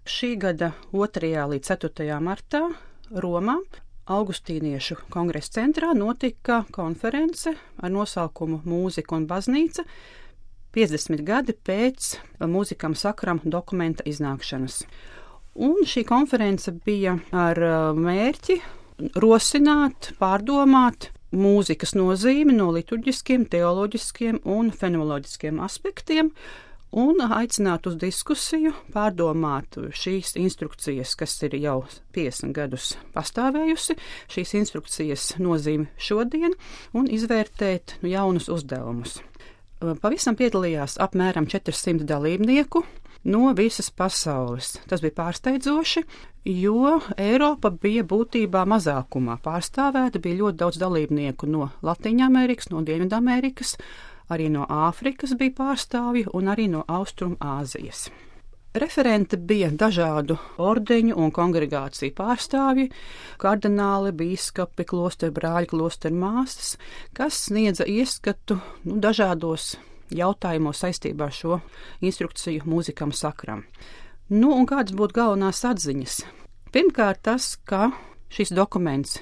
Šī gada 2. līdz 4. martā Romā Augustīniešu kongresa centrā notika konference ar nosaukumu Mūzika un baznīca 50 gadi pēc Mūzikam Sakram dokumenta iznākšanas. Un šī konference bija ar mērķi rosināt, pārdomāt mūzikas nozīmi no liturģiskiem, teoloģiskiem un fenomenoloģiskiem aspektiem un aicināt uz diskusiju, pārdomāt šīs instrukcijas, kas ir jau 50 gadus pastāvējusi, šīs instrukcijas nozīmi šodien un izvērtēt jaunus uzdevumus. Pavisam piedalījās apmēram 400 dalībnieku no visas pasaules. Tas bija pārsteidzoši, jo Eiropa bija būtībā mazākumā pārstāvēta, bija ļoti daudz dalībnieku no Latīņamerikas, no Dienvidamerikas, arī no Āfrikas bija pārstāvji un arī no Austrumāzijas. Referenti bija dažādu ordeņu un kongregāciju pārstāvji, kardināli, bīskapi, klosterbrāļi, klostermāsas, kas sniedza ieskatu dažādos jautājumos saistībā ar šo instrukciju Mūzikam Sakram. Un kādas būtu galvenās atziņas? Pirmkārt tas, ka šis dokuments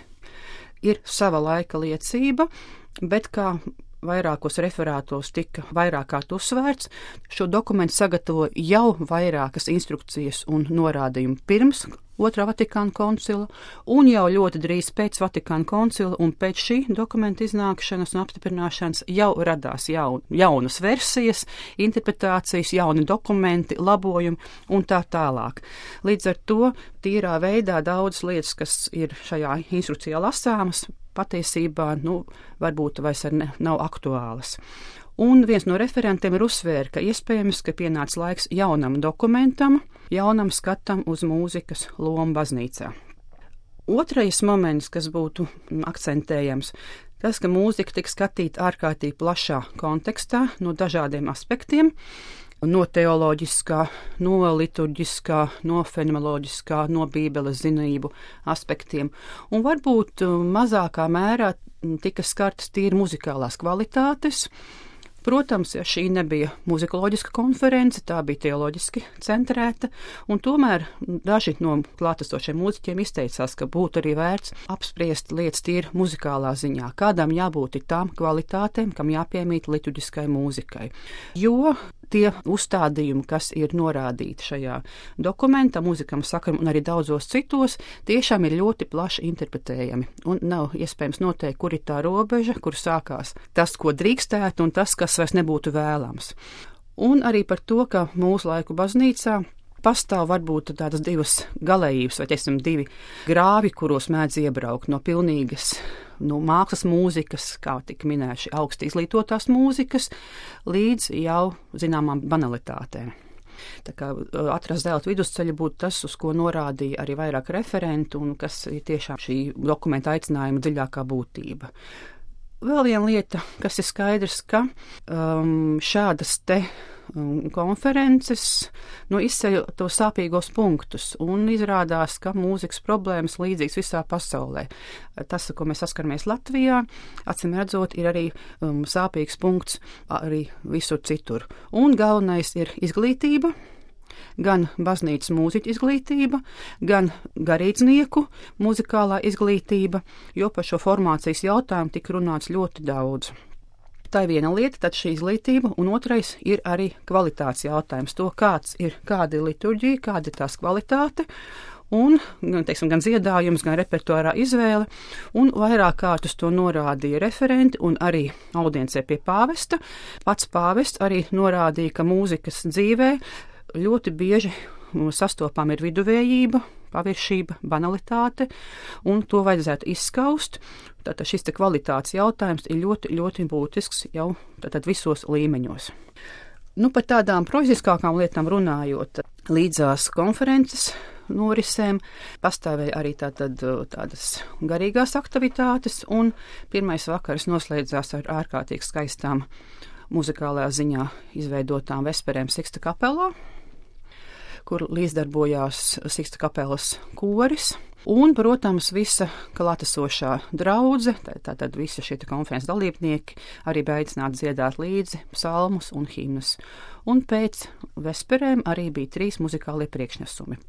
ir sava laika liecība, bet kā vairākos referātos tika vairāk kārt uzsvērts, šo dokumentu sagatavoja jau vairākas instrukcijas un norādījumi pirms Otrā Vatikāna koncila un jau ļoti drīz pēc Vatikāna koncila un pēc šī dokumenta iznākšanas un apstiprināšanas jau radās jaunas versijas, interpretācijas, jauni dokumenti, labojumi un tā tālāk. Līdz ar to tīrā veidā daudzas lietas, kas ir šajā instrukcijā lasāmas, patiesībā varbūt vairs nav aktuālas. Un viens no referentiem ir uzsvēra, ka iespējams, ka pienāca laiks jaunam dokumentam, jaunam skatam uz mūzikas lomu baznīcā. Otrais moments, kas būtu akcentējams, tas, ka mūzika tika skatīta ārkārtīgi plašā kontekstā no dažādiem aspektiem, no teoloģiskā, no liturģiskā, no fenomenoloģiskā, no bībeles zinību aspektiem. Un varbūt mazākā mērā tika skartas tīri muzikālās kvalitātes. Protams, šī nebija muzikoloģiska konference, tā bija teoloģiski centrēta, un tomēr daži no klātesošiem mūziķiem izteicās, ka būtu arī vērts apspriest lietas tīri muzikālā ziņā, kādām jābūt tām kvalitātēm, kam jāpiemīt liturģiskai mūzikai. Jo tie uzstādījumi, kas ir norādīti šajā dokumentā, Mūzikam Sakram un arī daudzos citos, tiešām ir ļoti plaši interpretējami. Un nav iespējams noteikt, kur ir tā robeža, kur sākās tas, ko drīkstētu, un tas, kas vairs nebūtu vēlams. Un arī par to, ka mūsu laiku baznīcā pastāv varbūt tādas divas galējības, vai divi grāvi, kuros mēdz iebraukt no pilnīgas mākslas mūzikas, kā tika minējuši augsti izglītotās mūzikas, līdz jau zināmām banalitātēm. Tā kā atrast zelta vidusceļu būtu tas, uz ko norādīja arī vairāk referentu un kas ir tiešām šī dokumenta aicinājuma dziļākā būtība. Vēl viena lieta, kas ir skaidrs, ka šādas te konferences izceļ tos sāpīgos punktus un izrādās, ka mūzikas problēmas līdzīgas visā pasaulē. Tas, ko mēs saskaramies Latvijā, acīm redzot, ir arī sāpīgs punkts arī visur citur. Un galvenais ir izglītība, gan baznīcas mūziķu izglītība, gan garīdznieku muzikālā izglītība, jo par šo formācijas jautājumu tika runāts ļoti daudz. Tā ir viena lieta, tad šī izglītība, un otrais ir arī kvalitātes jautājums. To, kāda ir liturģija, kāda ir tās kvalitāte, un, gan dziedājums, gan repertuārā izvēle, un vairāk kārtus to norādīja referenti un arī audiencē pie pāvesta. Pats pāvests arī norādīja, ka mūzikas dzīvē ļoti bieži sastopām ir viduvējība, paviršība, banalitāte, un to vajadzētu izskaust. Tātad šis kvalitātes jautājums ir ļoti, ļoti būtisks jau visos līmeņos. Par tādām proziskākām lietām runājot, līdzās konferences norisēm pastāvēja arī tādas garīgās aktivitātes, un pirmais vakars noslēdzās ar ārkārtīgi skaistām muzikālajā ziņā izveidotām vesperēm Siksta kapelā, kur līdzdarbojās Siksta kapelas koris. Un, protams, visa klātesošā draudze, tātad visi šie konferences dalībnieki arī bija aicināti dziedāt līdzi psalmus un himnas. Un pēc vesperēm arī bija 3 muzikālie priekšnesumi.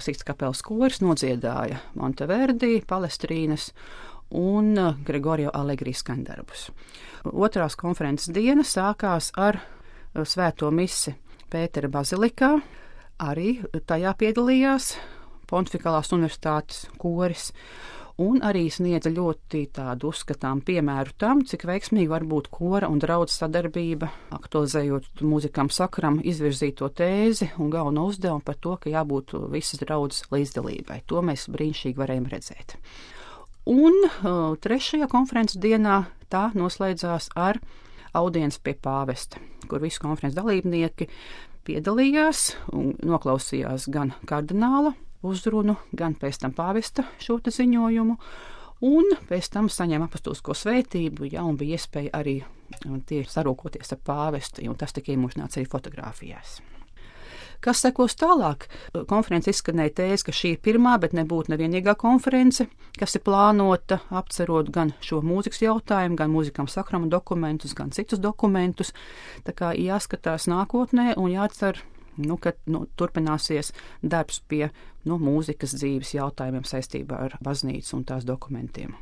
Siksta kapelas koris nodziedāja Monteverdi, Palestrīnas un Gregorio Allegri skaņdarbus. Otrās konferences diena sākās ar svēto misi Pētera bazilikā. Arī tajā piedalījās Pontifikālās universitātes koris un arī sniedza ļoti tādu uzskatām piemēru tam, cik veiksmīgi var būt kora un draudz sadarbība, aktualizējot mūzikam sakaram izvirzīto tēzi un galveno uzdevumu par to, ka jābūt visas draudzes līdzdalībai. To mēs brīnišķīgi varējām redzēt. Un trešajā konferences dienā tā noslēdzās ar audienci pie pāvesta, kur visi konferences dalībnieki piedalījās un noklausījās gan kardināla uzrunu, gan pēc tam pāvesta šo ziņojumu, un pēc tam saņēma apastulisko svētību, un bija iespēja arī tie sarūkoties ar pāvestu, un tas tika iemūžināts arī fotogrāfijās. Kas sekos tālāk? Konference izskanēja tēze, ka šī ir pirmā, bet nebūtu nevienīgā konference, kas ir plānota apcerot gan šo mūzikas jautājumu, gan mūzikam sakrama dokumentus, gan citus dokumentus. Tā kā jāskatās nākotnē un jācer, ka turpināsies darbs pie mūzikas dzīves jautājumiem saistībā ar baznīcu un tās dokumentiem.